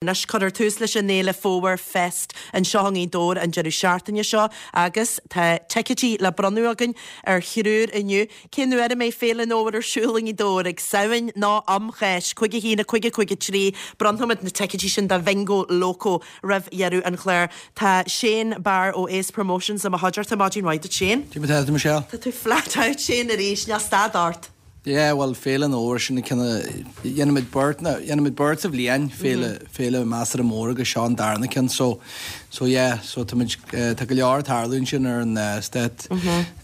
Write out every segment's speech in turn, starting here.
Anois, cuirfear tús leis an fhéile Fómhar Fest anseo i nGaoth Dobhair an deireadh seachtaine seo agus tá ticéidí le bronnadh againn ar thriúr inniu. Cén uair a mbeidh Féile an Fhómhair ar siúl i nGaoth Dobhair? Ag Samhain nó um Cháisc? 5 1 5 5 3 Bronnfaimid na ticéidí sin do Bhingo Loco roimh dheireadh an chláir. Tá Shane Barr ó Ace Promotions i mo chuideachta. Maidin mhaith duit Shane. Cad é mar atá tú Michelle? Tá tú flat out Shane arís, níl stad ort. Yeah, bhuel, Féile an Fhómhair, sin an ceann a dhéanaimid beirt, nó dhéanaimid beirt sa bhliain, féile, féile measartha mór agus seo an darna ceann, so, so yeah, so táimid, tá go leor ag tarlú ansin ar an stát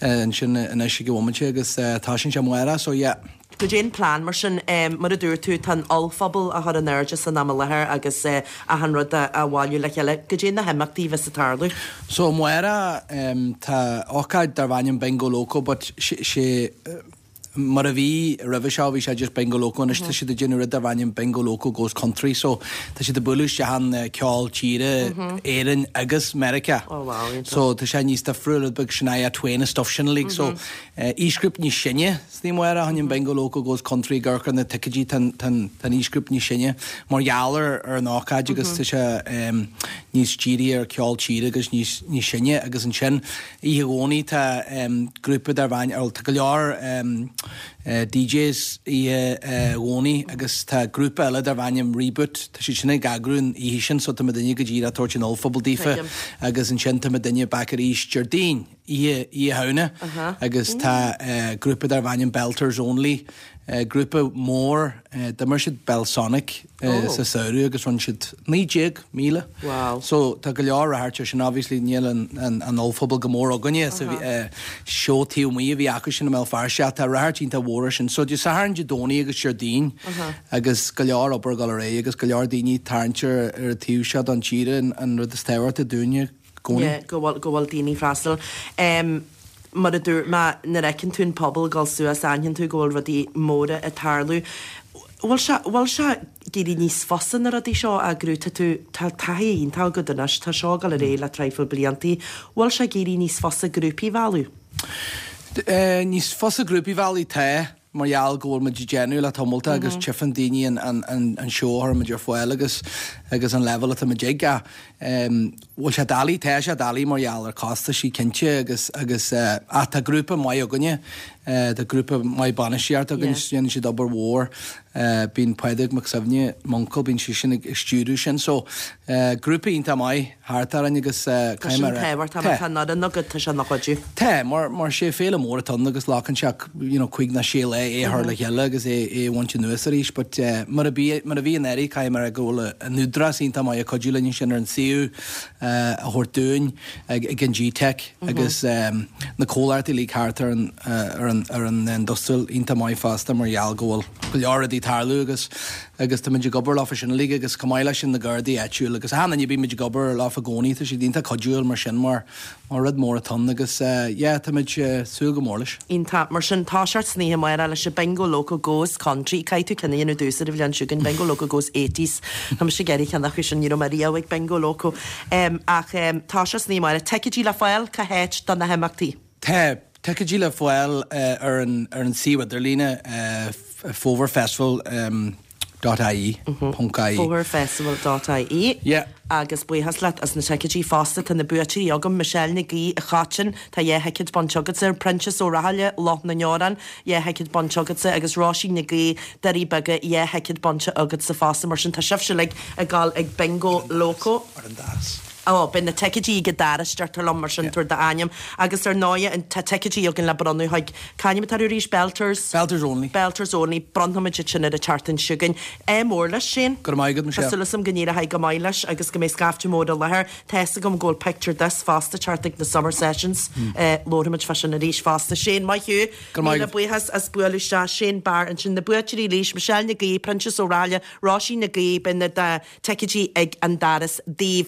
ansin anois ag an bhomaite agus tosaíonn sé amárach, so yeah. Cad é an plean mar sin, mar a dúirt tú, tá an ollphuball á chur in airde san am i láthair agus achan rud á bhailiú le chéile, cad é na himeachtaí a bheas ag tarlú? So amárach tá ócáid darb ainm Bingo Loco but sé, Mar a bhí roimhe seo, bhí sé just Bingo Loco, anois tá siad ag déanamh rud darb ainm Bingo Loco Goes Country, so tá siad ag bualadh isteach an ceol tíre, Éirinn agus Meiriceá. Oh wow, iontach. So tá sé níos difriúil, rud beag Shania Twain is stuff sin uilig, so aoisghrúpa níos sine san oíche amárach, an Bingo Loco Goes Country ag amharc ar na ticéidí, tá an aoisghrúpa níos sine mar gheall ar an ócáid agus tá sé níos dírithe ar ceol tíre agus níos sine agus ansin Oíche Dhomhnaigh tá grúpa darb ainm, bhuel tá go leor DJs oíche Dhomhnaigh agus tá grúpa eile darb ainm Reboot, tá siad sin ag eagrú an oíche sin so tá muidinne go díreach ag tabhairt an ollphuball daofa agus ansin tá muidinne back arís Déardaoin, oíche Oíche Shamhna agus tá grúpa darb ainm Belters Only, grúpa mór, d'imir siad Belsonic sa samhradh agus rinne siad 19,000. Wow. So tá go leor ráchairt air sin, obviously níl an an ollphuball go mór againne sa seó taobh amuigh a bhí acu sin i mBéal Feirste ach tá ráchairt iontach mhór air sin. So Dé Sathairn, Dé Domhnaigh agus Déardaoin agus go leor obair ag dul ar aghaidh agus go leor daoine ag tarraingt ar an taobh seo don tíre an rud is tábhachtaí dúinne. gcónaí. Yeah, go bhfuil, go bhfuil daoine ag freastal. Em, mar a dúirt mé, nuair a fheiceann tú an pobal ag dul suas, aithníonn tú go bhfuil rudaí móra ag tarlú. Bhfuil sé, bhfuil sé ag éirí níos fusa na rudaí seo a eagrú? Tá tú, tá taithí iontach agat anois, tá seo ag dul ar aghaidh le traidhfil bliantaí. Bhfuil sé ag éirí níos fusa grúpaí a mhealladh? Eh, níos fusa grúpaí a mhealladh, tá. mar gheall go bhfuil muid ag déanamh le tamall agus tchíonn daoine an an seó a chuireann muid ar fáil agus agus an leibhéal atá muid ag ach bhfuil sé doiligh, tá sé doiligh mar gheall ar costaisí cinnte agus agus ach tá grúpa maith againne, tá grúpa maith bainistíochta againn, déanann siad obair mhór, bíonn Pádraig Mac Suibhne, m'uncail, bíonn seisean ag stiúradh sin so grúpa iontach maith. thart orainn agus Tá sin tábhachtach, má tá an fhoireann agat, tá sé ina chuidiú. Tá, mar mar sé féile mór atá ann agus glacann sé you know cuig nó sé lá é a chur le chéile agus é é a bhaint anuas arís but mar a bhí mar a bhí anuraidh caithfidh mé a rá go bhfuil an Údarás iontach maith ag cuidiú linn ansin ar an suíomh a thabhairt dúinn ag ag an GTeic agus na comhlachtaí uilig thart ar an ar an ar an industrial iontach maith fosta mar gheall go bhfuil go leor rudaí ag tarlú agus agus táimid ag obair leofa sin uilig agus chomh maith leis sin na Gardaí áitiúil agus achan duine bímid ag obair leofa i gcónaí, tá siad iontach cuidiúil mar sin mar mar rud mór atá ann agus yeah táimid súil go mór leis. Iontach. Mar sin, toiseacht san oíche amárach leis an Bingo Loco Goes Country. Caithfidh tú ceann a dhéanamh domhsa ar an bhliain seo chugainn, Bingo Loco Goes Eighties. Tá mise ag iarraidh ceann acu sin, ní raibh mé riamh ag Bingo Loco. Ach toiseacht san oíche amárach. Ticéidí le fáil cá háit do na himeachtaí? Tá ticéidí le fáil ar an ar an suíomh idirlíne fómharfestival dot ie, ponc ie. Fómharfestival dot ie. Yeah. Agus buíochas leat as na ticéidí fosta. Tá na buaiteoirí agam, Michelle Nic Aoidh, an Choitín, tá dhá thicéad bainte agatsa, Proinsias Ó Rathaille, Loch na nDeorán, dhá thicéad bainte agatsa, agus Róisín Nic Aoidh, Doirí Beaga, dhá thicéad bainte agatsa fosta. Mar sin tá sibhse uilig ag dul ag Bingo Loco. Ar an doras. Ó, beidh na ticéidí ag an doras, deirtear liom, mar sin tabhair d'ainm. Agus ar ndóighe, tá ticéidí againn le bronnadh chuig, c'ainm atá orthu arís, Belters? Belters Only. Belters Only, bronnfaimid iad sin ar an tseachtain seo chugainn. Ádh mór leis, Shane. Go raibh maith agat, Michelle. Tá súil agam go n-éireoidh go maith leis agus go mbeidh scaifte mór i láthair. Tá fhios agam go bhfuil Picture This fosta ag teacht ag na Summer Sessions. Labharfaimid fá sin arís fosta. Shane, maith thú. Go raibh maith Míle agat. buíochas as bualadh isteach. Shane Barr ansin. Na buaiteoirí arís, Michelle Nic Aoidh, Proinsias Ó Rathaille, Róisín Nic Aoidh, beidh na ticéidí ag an doras daoibh.